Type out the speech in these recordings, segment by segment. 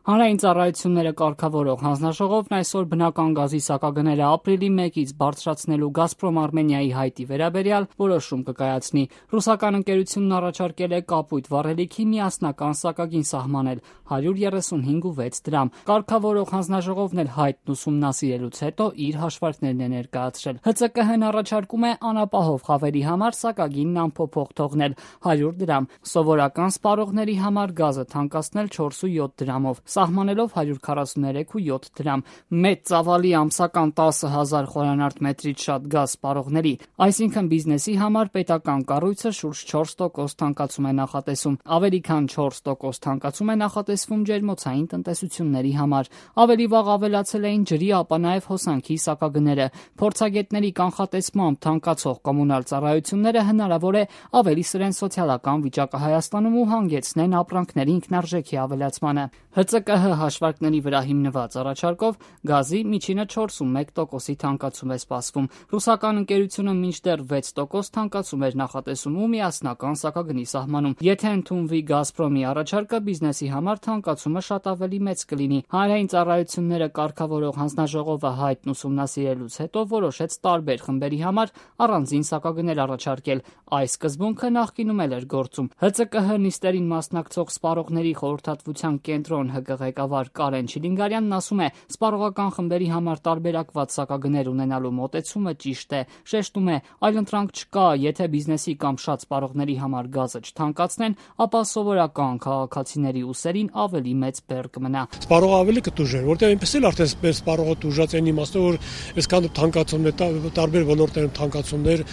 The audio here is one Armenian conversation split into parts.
Հանրային ծառայությունները կարգավորող հանձնաժողովն այսօր բնական գազի սակագները ապրիլի 1-ից բարձրացնելու «Գազպրոմ Արմենիայի» հայտի վերաբերյալ որոշում կկայացնի։ Ռուսական ընկերությունն առաջարկել է կապույտ վառելիքի միասնական սակագին սահմանել 135.6 դրամ։ Կարգավորող հանձնաժողովն էլ հայտն ուսումնասիրելուց հետո իր հաշվարկներն է ներկայացրել։ ՀԾԿՀ-ն առաջարկում է անապահով խավերի համար սակագինն անփոփոխ թողնել 100 դրամ, սովորական սպառողների համար գազը թանկացնել 4.7 դրամով, սահմանելով 143.7 դրամ, մեծ ծավալի ամսական 10,000 խորանարդ մետրից շատ գազ սպառողների, այսինքն բիզնեսի համար պետական կառույցը շուրջ 4% թանկացում է նախատեսում, ավելի քան 4% թանկացում է նախատեսվում ջերմոցային տնտեսությունների համար։ Ավելի վաղ ավելացել էին ջրի, ապա նաև հոսանքի սակագները։ Փորձագետների կանխատեսմամբ թանկացող կոմունալ ծառայությունները հնարավոր է ավելի սրեն սոցիալական վիճակը Հայաստանում ու հանգեցնեն ապրանքների ինքնարժեքի ավելացմանը։ ՀԾԿՀ հաշվարկների վրա հիմնված առաջարկով գազի միջինը 4.1%-ի թանկացում է սպասվում։ Ռուսական ընկերությունը մինչդեռ 6% թանկացում էր նախատեսում ու միասնական սակագնի սահմանում։ Եթե ընդունվի «Գազպրոմի» առաջարկը, բիզնեսի համար թանկացումը շատ ավելի մեծ կլինի։ Հանրային ծառայությունները կարգավորող հանձնաժողովը հայտն ուսումնասիրելուց հետո որոշեց տարբեր խմբերի համար առանձին սակագներ առաջարկել։ Այս սկզբունքը նախկինում էլ էր գործում։ ՀԾԿՀ նիստերին մասնակցող Սպառողների խորհրդատվության կենտրոն ՀԿ ղեկավար Կարեն Չիլինգարյանն ասում է, սպառողական խմբերի համար տարբերակված սակագներ ունենալու մոտեցումը ճիշտ է։ Շեշտում է, այլընտրանք չկա, եթե բիզնեսի կամ շատ սպառողների համար գազը չթանկացնեն, ապա սովորական քաղաքացիների ուսերին ավելի մեծ բեռ կմնա։ Սպառողը ավելի կտուժեր, որտեղ այնպես էլ արդեն սպառողը տուժած այն իմաստով, որ այսքան թանկացումներ, տարբեր ոլորտներում թանկացումներ,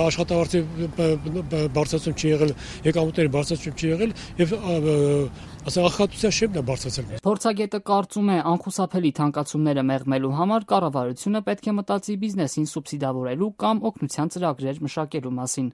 աշխատավարձի բարձրացում չի եղել, եկամուտների բարձրացում չի եղել եւ ախտության շեմն է բարձրացել։ Փորձագետը կարծում է, անխուսափելի թանկացումները մեղմելու համար կառավարությունը պետք է մտածի բիզնեսին սուբսիդավորելու կամ օգնության ծրագրեր մշակելու մասին։